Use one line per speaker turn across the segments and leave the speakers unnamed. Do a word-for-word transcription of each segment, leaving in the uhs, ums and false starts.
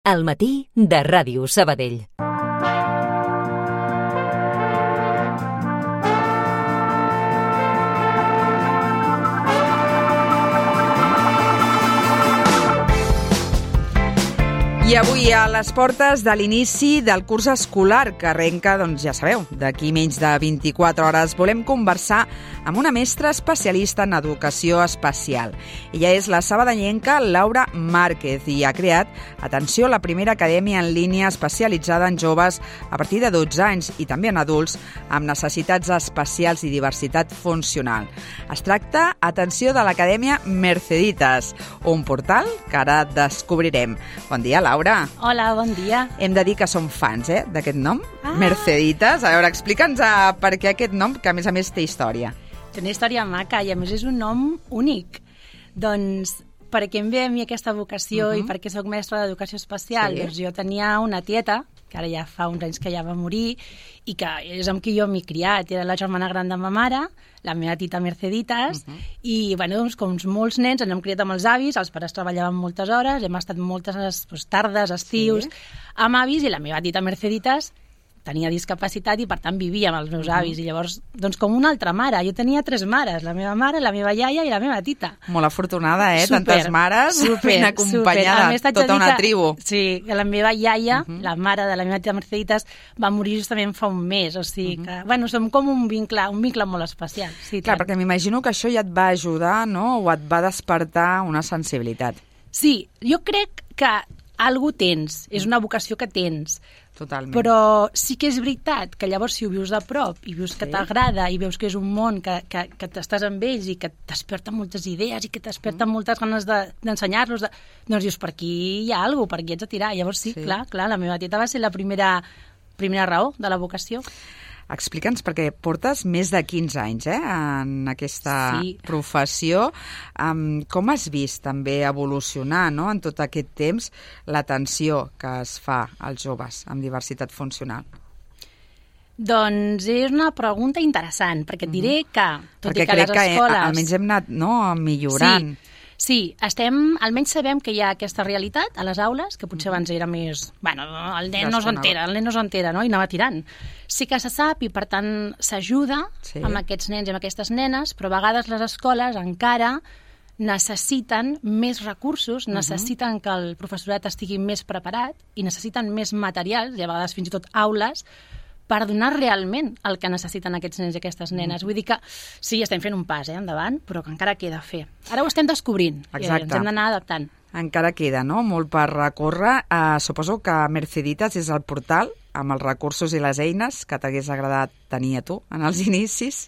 Al matí de Ràdio Sabadell.
I avui a les portes de l'inici del curs escolar, que arrenca, doncs ja sabeu, d'aquí menys de vint-i-quatre hores, volem conversar amb una mestra especialista en educació especial. Ella és la sabadellenca Laura Márquez i ha creat, atenció, la primera acadèmia en línia especialitzada en joves a partir de dotze anys i també en adults amb necessitats especials i diversitat funcional. Es tracta, atenció, de l'Acadèmia Merceditas, un portal que ara descobrirem. Bon dia, Laura.
Hola, bon dia.
Hem de dir que som fans, eh, d'aquest nom, ah. Merceditas. A veure, explica'ns uh, per què aquest nom, que a més a més té història.
Té una història maca i a més és un nom únic. Doncs perquè em ve a mi aquesta vocació uh-huh. i perquè soc mestra d'educació especial, sí. Doncs jo tenia una tieta, que ara ja fa uns anys que ja va morir, i que és amb qui jo m'he criat. Era la germana gran de ma mare, la meva tita Merceditas, uh-huh. i bueno, doncs, com molts nens ens hem criat amb els avis, els pares treballaven moltes hores, hem estat moltes doncs, tardes, estius, sí. amb avis, i la meva tita Merceditas tenia discapacitat i, per tant, vivia amb els meus avis. Uh-huh. I llavors, doncs, com una altra mare. Jo tenia tres mares, la meva mare, la meva iaia i la meva tita.
Molt afortunada, eh?
Super,
tantes mares,
super,
ben acompanyada,
super.
tota una
que,
tribu.
Sí, que la meva iaia, uh-huh. la mare de la meva tita Merceditas, va morir justament fa un mes. O sigui uh-huh. que, bueno, som com un vincle, un vincle molt especial. Sí,
clar,
tant.
perquè m'imagino que això ja et va ajudar, no?, o et va despertar una sensibilitat.
Sí, jo crec que algú tens, és una vocació que tens.
Totalment.
Però sí que és veritat que llavors si ho vius de prop i vius sí. que t'agrada i veus que és un món que, que, que estàs amb ells i que t'esperta moltes idees i que t'esperta mm. moltes ganes de, d'ensenyar-los, de... doncs dius, per aquí hi ha alguna cosa, per aquí ets a tirar. Llavors sí, sí, clar, clar, la meva tieta va ser la primera, primera raó de la vocació.
Explica'ns, perquè portes més de quinze anys eh, en aquesta sí. professió. Um, com has vist també evolucionar, no, en tot aquest temps l'atenció que es fa als joves amb diversitat funcional?
Doncs és una pregunta interessant, perquè et diré que, tot
perquè
i que les escoles... Perquè crec
que almenys hem anat no, millorant.
Sí. Sí, estem, almenys sabem que hi ha aquesta realitat a les aules, que potser abans era més... Bueno, el nen no s'entera, el nen no s'entera, no? I anava tirant. Sí que se sap i, per tant, s'ajuda sí. amb aquests nens i amb aquestes nenes, però a vegades les escoles encara necessiten més recursos, uh-huh. necessiten que el professorat estigui més preparat i necessiten més materials, i a vegades fins i tot aules, per donar realment el que necessiten aquests nens i aquestes nenes. Mm. Vull dir que sí, estem fent un pas eh, endavant, però que encara queda a fer. Ara ho estem descobrint.
Exacte.
I ens hem d'anar adaptant.
Encara queda, no?, molt per recórrer. Uh, suposo que Merceditas és el portal amb els recursos i les eines que t'hagués agradat tenir a tu en els inicis.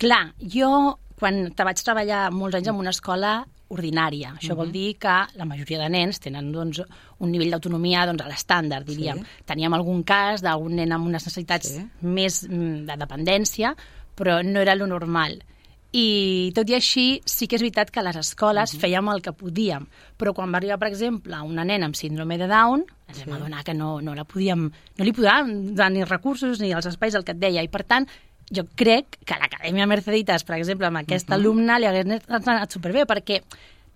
Clar,
jo quan te vaig treballar molts anys en una escola ordinària. Això uh-huh. vol dir que la majoria de nens tenen doncs, un nivell d'autonomia doncs, a l'estàndard, diríem. Sí. Teníem algun cas d'un nen amb unes necessitats sí. més de dependència, però no era lo normal. I tot i així, sí que és veritat que a les escoles uh-huh. fèiem el que podíem, però quan va arribar, per exemple, una nena amb síndrome de Down, ens sí. vam adonar que no, no la podíem, no li podíem donar ni recursos ni els espais, el que et deia, i per tant, jo crec que a l'Acadèmia Merceditas, per exemple, amb aquest uh-huh. alumne li hagués anat superbé, perquè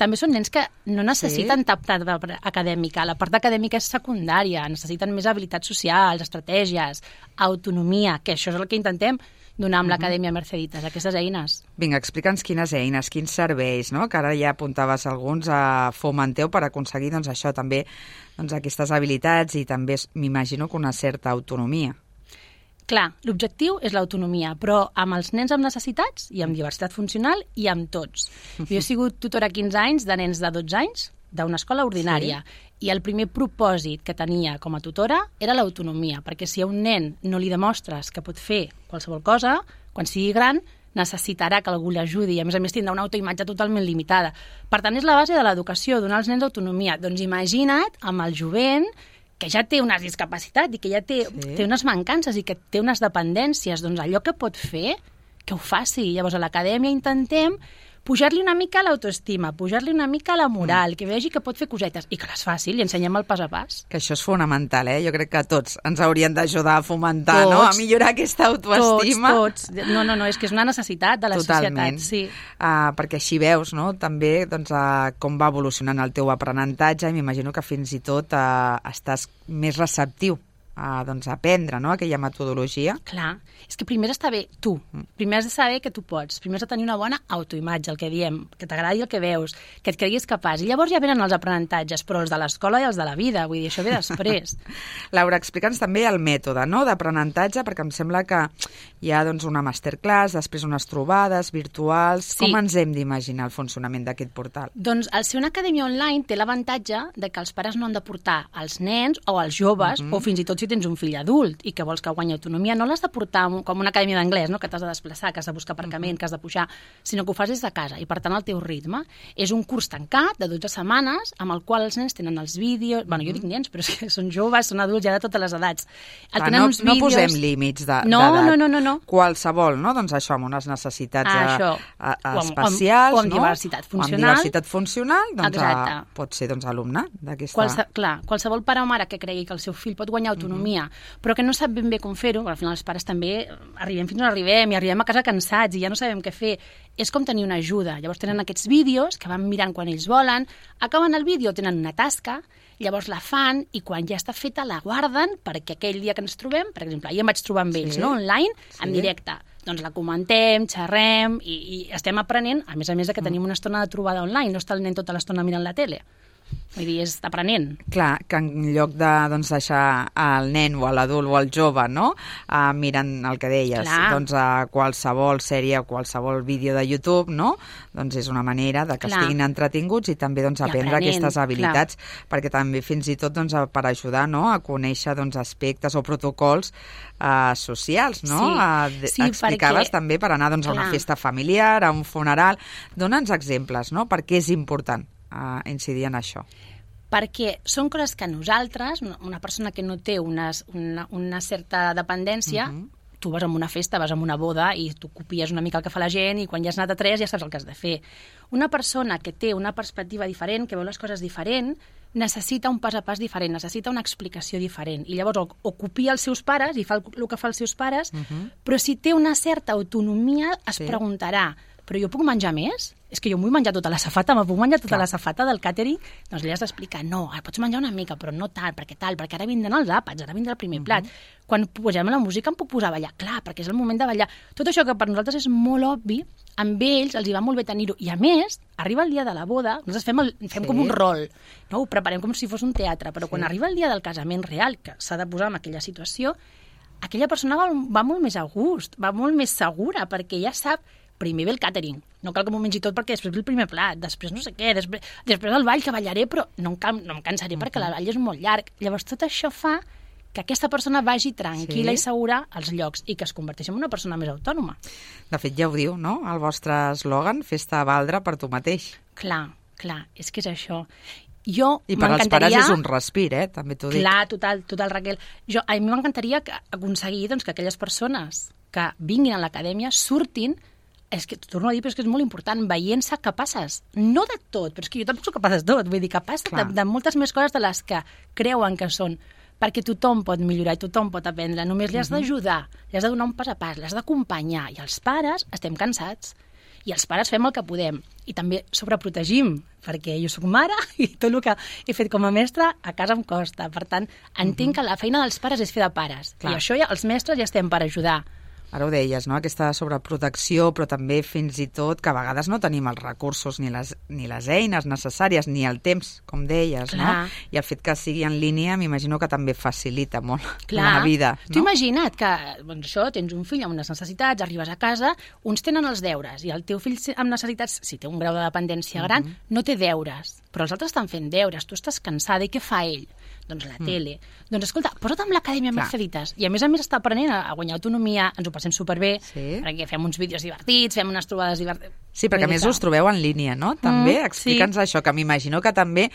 també són nens que no necessiten sí. tap acadèmica. La part acadèmica és secundària, necessiten més habilitats socials, estratègies, autonomia, que això és el que intentem donar amb uh-huh. l'Acadèmia Merceditas, aquestes eines.
Vinga, explica'ns quines eines, quins serveis, no?, que ara ja apuntaves alguns a fomenteu per aconseguir doncs, això també, doncs, aquestes habilitats i també m'imagino que una certa autonomia.
Clar, l'objectiu és l'autonomia, però amb els nens amb necessitats i amb diversitat funcional i amb tots. Jo he sigut tutora quinze anys de nens de dotze anys d'una escola ordinària sí. i el primer propòsit que tenia com a tutora era l'autonomia, perquè si a un nen no li demostres que pot fer qualsevol cosa, quan sigui gran necessitarà que algú l'ajudi i a més a més tindrà una autoimatge totalment limitada. Per tant, és la base de l'educació, donar als nens autonomia. Doncs imagina't amb el jovent que ja té una discapacitat i que ja té, sí. té unes mancances i que té unes dependències, doncs allò que pot fer, que ho faci. Llavors a l'acadèmia intentem pujar-li una mica l'autoestima, pujar-li una mica la moral, mm. que vegi que pot fer cosetes i que les faci, li ensenyem el pas a pas.
Que això és fonamental, eh? Jo crec que tots ens haurien d'ajudar a fomentar, tots, no? A millorar aquesta autoestima.
Tots, tots. No, no, no, és que és una necessitat de la
Totalment.
societat. Sí.
Uh, perquè així veus, no?, també doncs, uh, com va evolucionant el teu aprenentatge i m'imagino que fins i tot uh, estàs més receptiu a doncs, aprendre, no?, aquella metodologia.
Clar, és que primer està bé tu, primer has de saber que tu pots, primer has de tenir una bona autoimatge, el que diem, que t'agradi el que veus, que et creguis capaç, i llavors ja venen els aprenentatges, però els de l'escola i els de la vida, vull dir, això ve després.
Laura, explica'ns també el mètode, no?, d'aprenentatge, perquè em sembla que hi ha doncs, una masterclass, després unes trobades virtuals. Sí. Com ens hem d'imaginar el funcionament d'aquest portal?
Doncs el ser una acadèmia online té l'avantatge de que els pares no han de portar els nens o els joves, mm-hmm. o fins i tot si tens un fill adult i que vols que guanyi autonomia, no l'has de portar com una acadèmia d'anglès, no?, que t'has de desplaçar, que has de buscar aparcament, que has de pujar, sinó que ho fas des de casa i, per tant, al teu ritme. És un curs tancat de dotze setmanes amb el qual els nens tenen els vídeos... Bueno, jo dic nens, però és que són joves, són adults, ja de totes les edats. El
Clar, no, no posem límits d'edat.
No, no, no, no, no.
Qualsevol, no? Doncs això, amb unes necessitats
ah,
a, a, a especials,
o amb, o amb
no?
diversitat funcional.
O amb diversitat funcional, doncs a, pot ser doncs, alumne d'aquesta...
Qualse, clar, qualsevol pare o mare que cregui que el seu fill pot guanyar autonomia, mm-hmm. però que no sap ben bé com fer-ho, al final els pares també arribem fins on arribem i arribem a casa cansats i ja no sabem què fer. És com tenir una ajuda. Llavors tenen aquests vídeos que van mirant quan ells volen, acaben el vídeo, tenen una tasca, llavors la fan i quan ja està feta la guarden perquè aquell dia que ens trobem, per exemple, ahir em vaig trobar amb ells, sí. no? online, sí. en directe. Doncs la comentem, xerrem i, i estem aprenent, a més a més de que mm. tenim una estona de trobada online, no està el nen tota l'estona mirant la tele. Vull dir, és aprenent.
Clar, que en lloc de doncs, deixar el nen o l'adult o el jove, no?, uh, mirant el que deies, Clar. doncs a uh, qualsevol sèrie o qualsevol vídeo de YouTube, no?, doncs és una manera de que Clar. estiguin entretinguts i també doncs, aprendre aprenent. aquestes habilitats, Clar. perquè també fins i tot doncs, per ajudar, no?, a conèixer doncs, aspectes o protocols uh, socials, no? Sí, uh, sí explicaves perquè... també per anar doncs, a una festa familiar, a un funeral. Dóna'ns exemples, no?, per què és important a incidir en això.
Perquè són coses que nosaltres, una persona que no té una, una, una certa dependència, uh-huh. tu vas a una festa, vas a una boda i tu copies una mica el que fa la gent i quan ja has anat a tres ja saps el que has de fer. Una persona que té una perspectiva diferent, que veu les coses diferent, necessita un pas a pas diferent, necessita una explicació diferent. I llavors o, o copia els seus pares i fa el, el que fa els seus pares, uh-huh. però si té una certa autonomia es sí. preguntarà, però jo puc menjar més? És que jo m'ho vull menjar tota la safata, me puc menjar tota Clar. la safata del càtering? Doncs li has d'explicar, no, pots menjar una mica, però no tant, perquè tal, perquè ara vindran els àpats, ara vindrà el primer uh-huh. plat. Quan posem la música em puc posar a ballar, clar, perquè és el moment de ballar. Tot això que per nosaltres és molt obvi, amb ells els hi va molt bé tenir-ho. I a més, arriba el dia de la boda, nosaltres fem, el, fem sí. com un rol, no? Ho preparem com si fos un teatre, però sí. quan arriba el dia del casament real, que s'ha de posar en aquella situació, aquella persona va, va molt més a gust, va molt més segura, perquè ja sap primer ve el càtering, no cal que m'ho mengi tot perquè després ve el primer plat, després no sé què, després, després el ball que ballaré, però no em, can, no em cansaré uh-huh. perquè el ball és molt llarg. Llavors tot això fa que aquesta persona vagi tranquil·la sí. i segura als llocs i que es converteixi en una persona més autònoma.
De fet, ja ho diu, no?, el vostre eslògan, fes-te valdre per tu mateix.
Clar, clar, és que és això. Jo
I per als pares és un respir, eh? També t'ho dic.
Clar, total, total, Raquel. Jo, a mi m'encantaria aconseguir doncs, que aquelles persones que vinguin a l'acadèmia surtin, és que, torno a dir, però és que és molt important, veient-se capaces, no de tot, però és que jo tampoc soc capaç de tot, vull dir, capaç de, de moltes més coses de les que creuen que són, perquè tothom pot millorar i tothom pot aprendre, només li has uh-huh. d'ajudar, li has de donar un pas a pas, l'has d'acompanyar, i els pares estem cansats, i els pares fem el que podem, i també sobreprotegim, perquè jo soc mare i tot el que he fet com a mestra a casa em costa, per tant, entenc uh-huh. que la feina dels pares és fer de pares, Clar. i això ja els mestres ja estem per ajudar.
Ara ho deies, no?, aquesta sobreprotecció, però també fins i tot que a vegades no tenim els recursos ni les, ni les eines necessàries, ni el temps, com deies, Clar. no? I el fet que sigui en línia m'imagino que també facilita molt Clar. la vida. No?
T'ho imagina't que, doncs això, tens un fill amb unes necessitats, arribes a casa, uns tenen els deures, i el teu fill amb necessitats, si té un grau de dependència gran, uh-huh. no té deures, però els altres estan fent deures, tu estàs cansada, i què fa ell? Doncs la
Mm.
tele. Doncs escolta, posa't amb l'Acadèmia
Clar.
Merceditas. I a més a més està aprenent a guanyar autonomia, ens ho passem superbé,
Sí.
perquè fem uns vídeos divertits, fem unes trobades divertides.
Sí, perquè a més us trobeu en línia, no? També,
Mm,
explica'ns
sí.
això, que m'imagino que també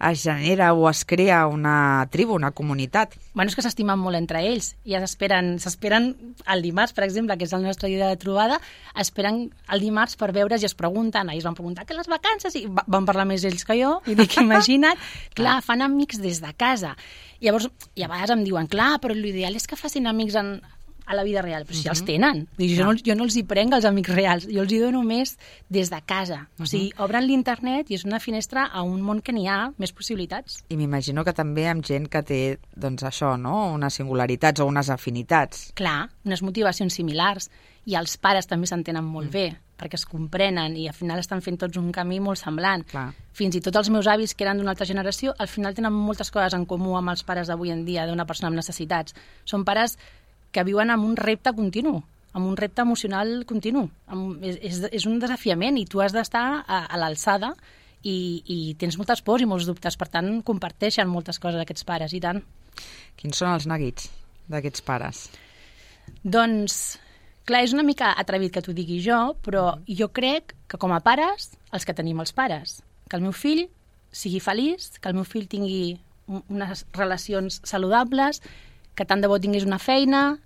es genera o es crea una tribu, una comunitat.
Bueno, és que s'estimen molt entre ells. Ja s'esperen, s'esperen el dimarts, per exemple, que és el nostre dia de trobada, esperen el dimarts per veure's i es pregunten. Ahir es van preguntar que les vacances, i va- van parlar més ells que jo, i dic, imagina't, clar, fan amics des de casa. Llavors, i a vegades em diuen, clar, però l'ideal és que facin amics en, a la vida real, però si els tenen. Vull dir, jo, no, jo no els hi prenc els amics reals, jo els hi dono més des de casa. O sigui, obren l'internet i és una finestra a un món que n'hi ha més possibilitats.
I m'imagino que també amb gent que té, doncs això, no? Unes singularitats o unes afinitats.
Clar, unes motivacions similars. I els pares també s'entenen molt mm. bé, perquè es comprenen i al final estan fent tots un camí molt semblant.
Clar.
Fins i tot els meus avis, que eren d'una altra generació, al final tenen moltes coses en comú amb els pares d'avui en dia, d'una persona amb necessitats. Són pares que viuen amb un repte continu, amb un repte emocional continu. Amb, és, és, és un desafiament i tu has d'estar a, a l'alçada i, i tens moltes pors i molts dubtes. Per tant, comparteixen moltes coses aquests pares, i tant.
Quins són els neguits d'aquests pares?
Doncs, clar, és una mica atrevit que t'ho digui jo, però jo crec que com a pares, els que tenim els pares, que el meu fill sigui feliç, que el meu fill tingui un- unes relacions saludables, que tant de bo tingués una feina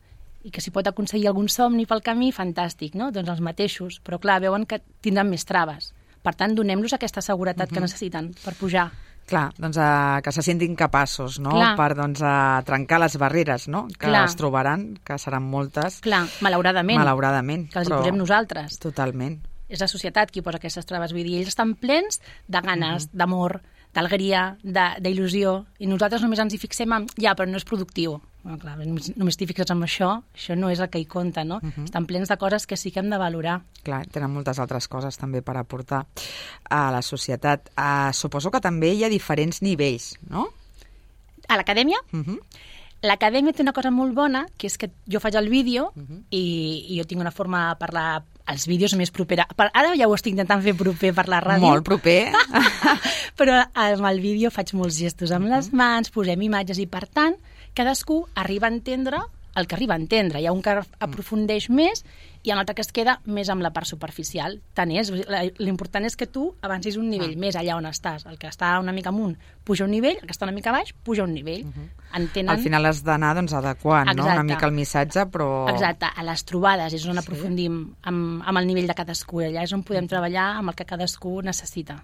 i que si pot aconseguir algun somni pel camí, fantàstic, no? Doncs els mateixos. Però clar, veuen que tindran més traves. Per tant, donem-los aquesta seguretat uh-huh. que necessiten per pujar.
Clar, doncs uh, que se sentin capaços, no?
Clar.
Per doncs, uh, trencar les barreres, no? Que
Clar.
es trobaran, que seran moltes,
Clar, malauradament,
malauradament.
que els hi posem nosaltres.
Totalment.
És la societat qui posa aquestes traves. Vull dir, ells estan plens de ganes, uh-huh. d'amor, d'alegria, de- d'il·lusió, i nosaltres només ens hi fixem en, ja, però no és productiu. Bueno, clar, només, només t'hi fixes en això, això no és el que hi compta, no? Uh-huh. Estan plens de coses que sí que hem de valorar.
Clar, tenen moltes altres coses també per aportar a la societat. Uh, suposo que també hi ha diferents nivells, no?
A l'acadèmia,
Uh -huh.
l'acadèmia té una cosa molt bona, que és que jo faig el vídeo uh-huh. i, i jo tinc una forma de parlar els vídeos més propera. Per, ara ja ho estic intentant fer proper per la ràdio.
Molt proper.
Però amb el vídeo faig molts gestos amb les mans, posem imatges i, per tant, cadascú arriba a entendre el que arriba a entendre. Hi ha un que aprofundeix més i un altre que es queda més amb la part superficial. Tant és. L'important és que tu avancis un nivell
Ah.
més allà on estàs. El que està una mica amunt puja un nivell, el que està una mica baix puja un nivell. Uh-huh. Entenen...
Al final has d'anar doncs, adequant, no?
Exacte.
Una mica el missatge, però...
Exacte, a les trobades és on
Sí.
aprofundim amb, amb el nivell de cadascú. Allà és on podem treballar amb el que cadascú necessita.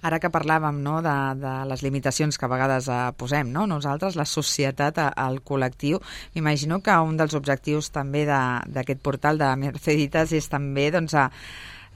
Ara que parlàvem, no, de, de les limitacions que a vegades eh, posem, no? Nosaltres, la societat, eh, el col·lectiu, m'imagino que un dels objectius també de- d'aquest portal de Merceditas és també doncs, a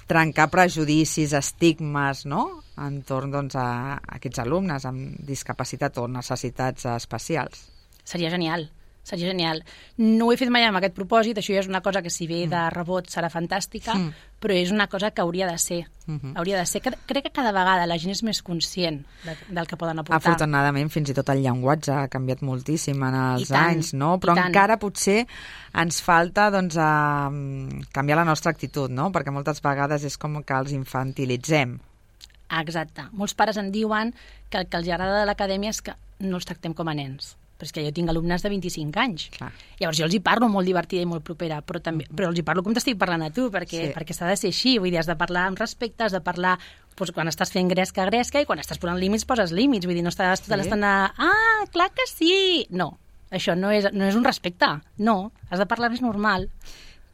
trencar prejudicis, estigmes, no?, entorn doncs, a aquests alumnes amb discapacitat o necessitats especials.
Seria genial, seria genial. No ho he fet mai amb aquest propòsit, això ja és una cosa que si ve de rebot serà fantàstica,
Mm.
però és una cosa que hauria de ser.
Mhm.
Hauria de ser. Cre- Crec que cada vegada la gent és més conscient de, del que poden aportar.
Afortunadament, fins i tot el llenguatge ha canviat moltíssim en els
I tant,
anys, no?
i
Però
tant.
encara potser ens falta doncs, a, canviar la nostra actitud, no? Perquè moltes vegades és com que els infantilitzem.
Exacte. Molts pares en diuen que el que els agrada de l'acadèmia és que no els tractem com a nens. Però és que jo tinc alumnes de vint-i-cinc anys.
Clar.
Llavors jo els hi parlo molt divertida i molt propera, però també però els hi parlo com t'estic parlant a tu, perquè,
Sí.
perquè s'ha de ser així. Vull dir, has de parlar amb respecte, has de parlar doncs, quan estàs fent gresca, gresca, i quan estàs posant límits, poses límits. Vull dir, no estàs tota
Sí.
l'estona... Ah, clar que sí! No, això no és, no és un respecte. No, has de parlar més normal.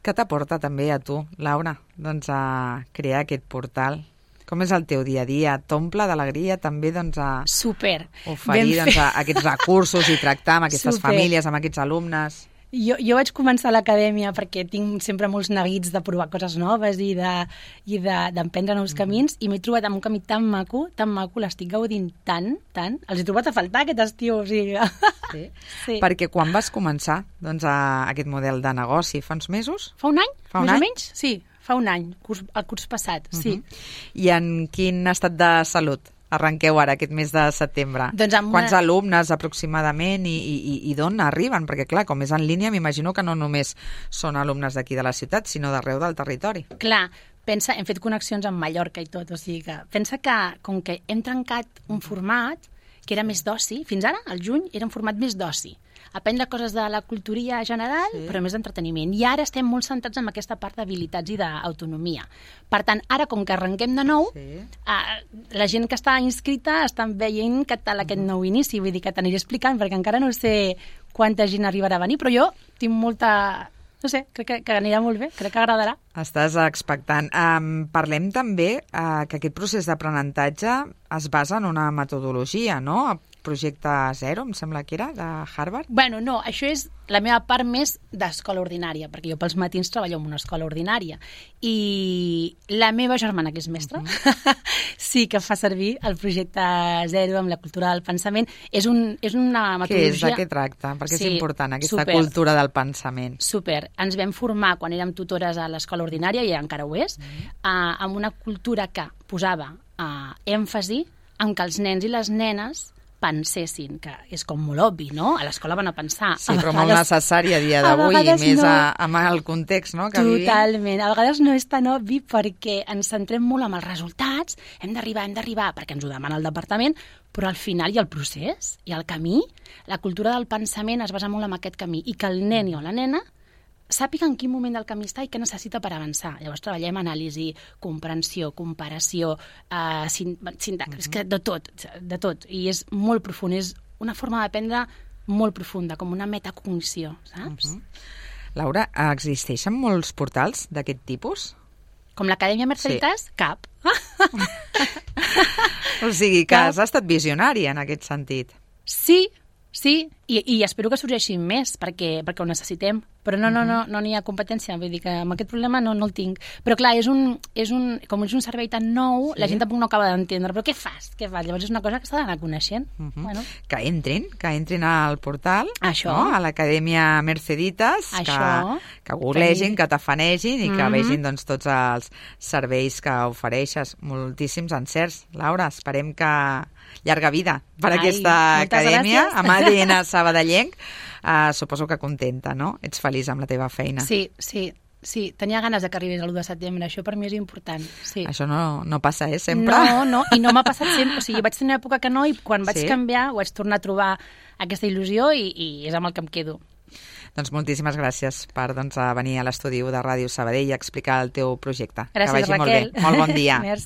Què t'aporta també a tu, Laura, doncs, a crear aquest portal? Com és el teu dia a dia? T'omple d'alegria també doncs, a
Super.
oferir
Ben
doncs,
fet.
a aquests recursos i tractar amb aquestes
Super.
famílies, amb aquests alumnes?
Jo, jo vaig començar a l'acadèmia perquè tinc sempre molts neguits de provar coses noves i de- i de- d'emprendre de, nous camins, i m'he trobat amb un camí tan maco, tan maco, l'estic gaudint tant, tant. Els he trobat a faltar aquest estiu, o sigui...
Sí.
Sí.
Perquè quan vas començar doncs, a aquest model de negoci? Fa uns mesos?
Fa un any,
Fa un
més
any?
o menys? Sí, fa un any, curs, el curs passat, sí.
Uh-huh. I en quin estat de salut arrenqueu ara, aquest mes de setembre?
Doncs amb
Quants
una-
alumnes aproximadament i, i, i- i d'on arriben? Perquè, clar, com és en línia, m'imagino que no només són alumnes d'aquí de la ciutat, sinó d'arreu del territori.
Clar, pensa, hem fet connexions amb Mallorca i tot, o sigui que pensa que com que hem trencat un format, que era més d'oci. Fins ara, al juny, era un format més d'oci. Aprendre coses de la cultura general, sí. però més d'entreteniment. I ara estem molt centrats en aquesta part d'habilitats i d'autonomia. Per tant, ara, com que arrenquem de nou, sí. eh, la gent que està inscrita estan veient que tal aquest nou inici. Vull dir que t'aniré explicant, perquè encara no sé quanta gent arribarà a venir, però jo tinc molta... No sé, crec que, que anirà molt bé, crec que agradarà.
Estàs expectant. Um, parlem també uh, que aquest procés d'aprenentatge es basa en una metodologia, no? Projecte Zero, em sembla que era, de Harvard?
Bueno, no, això és la meva part més d'escola ordinària, perquè jo pels matins treballo en una escola ordinària. I la meva germana, que és mestra, uh-huh. sí que fa servir el projecte Zero amb la cultura del pensament. És, un, és una metodologia...
Què és? De què tracta? Perquè sí, és important, aquesta
super,
cultura del pensament.
Super. Ens vam formar quan érem tutores a l'escola ordinària, i encara ho és, uh-huh. uh, amb una cultura que posava uh, èmfasi en que els nens i les nenes pensessin, que és com molt obvi, no? A l'escola van a pensar.
Sí, però molt necessari a dia d'avui, i més no. a, amb el context, no?, que vivim.
Totalment. A vegades no és tan obvi perquè ens centrem molt en els resultats, hem d'arribar, hem d'arribar, perquè ens ho demana el departament, però al final hi ha el procés, hi ha el camí. La cultura del pensament es basa molt en aquest camí, i que el nen o la nena sàpiga en quin moment del camí està i què necessita per avançar. Llavors treballem anàlisi, comprensió, comparació, uh, sintaxi, és que de tot, de tot. I és molt profund, és una forma d'aprendre molt profunda, com una metacognició, saps? Uh-huh.
Laura, existeixen molts portals d'aquest tipus?
Com l'Acadèmia Merceditas? Sí. Cap.
O sigui que Cap. Has estat visionària en aquest sentit.
Sí, sí, i, i espero que sorgeixin més, perquè, perquè ho necessitem. Però no no, no, no n'hi ha competència, vull dir que amb aquest problema no, no el tinc. Però clar, és un, és un, com és un servei tan nou, sí. la gent tampoc no acaba d'entendre. Però què fas? Què fas? Llavors és una cosa que s'ha d'anar coneixent. Uh -huh. bueno.
Que entrin, que entrin al portal,
Això.
No? A l'Acadèmia Merceditas,
Això.
que, que googlegin, que tafanegin i que uh -huh. vegin doncs, tots els serveis que ofereixes. Moltíssims encerts. Laura, esperem que llarga vida per
Ai,
aquesta acadèmia,
gràcies.
amb A D N sabadellenc. Uh, suposo que contenta, no? Ets feliç amb la teva feina.
Sí, sí, sí. Tenia ganes de que arribés l'u de setembre. Això per mi és important. Sí.
Això no, no passa, eh? Sempre.
No, no, i no m'ha passat sempre. O sigui, vaig tenir una època que no, i quan vaig
sí?
canviar vaig tornar a trobar aquesta il·lusió, i, i és amb el que em quedo.
Doncs moltíssimes gràcies per doncs, venir a l'estudi de Ràdio Sabadell i explicar el teu projecte.
Gràcies,
que vagi
Raquel.
molt bé. Molt bon dia.
Merci.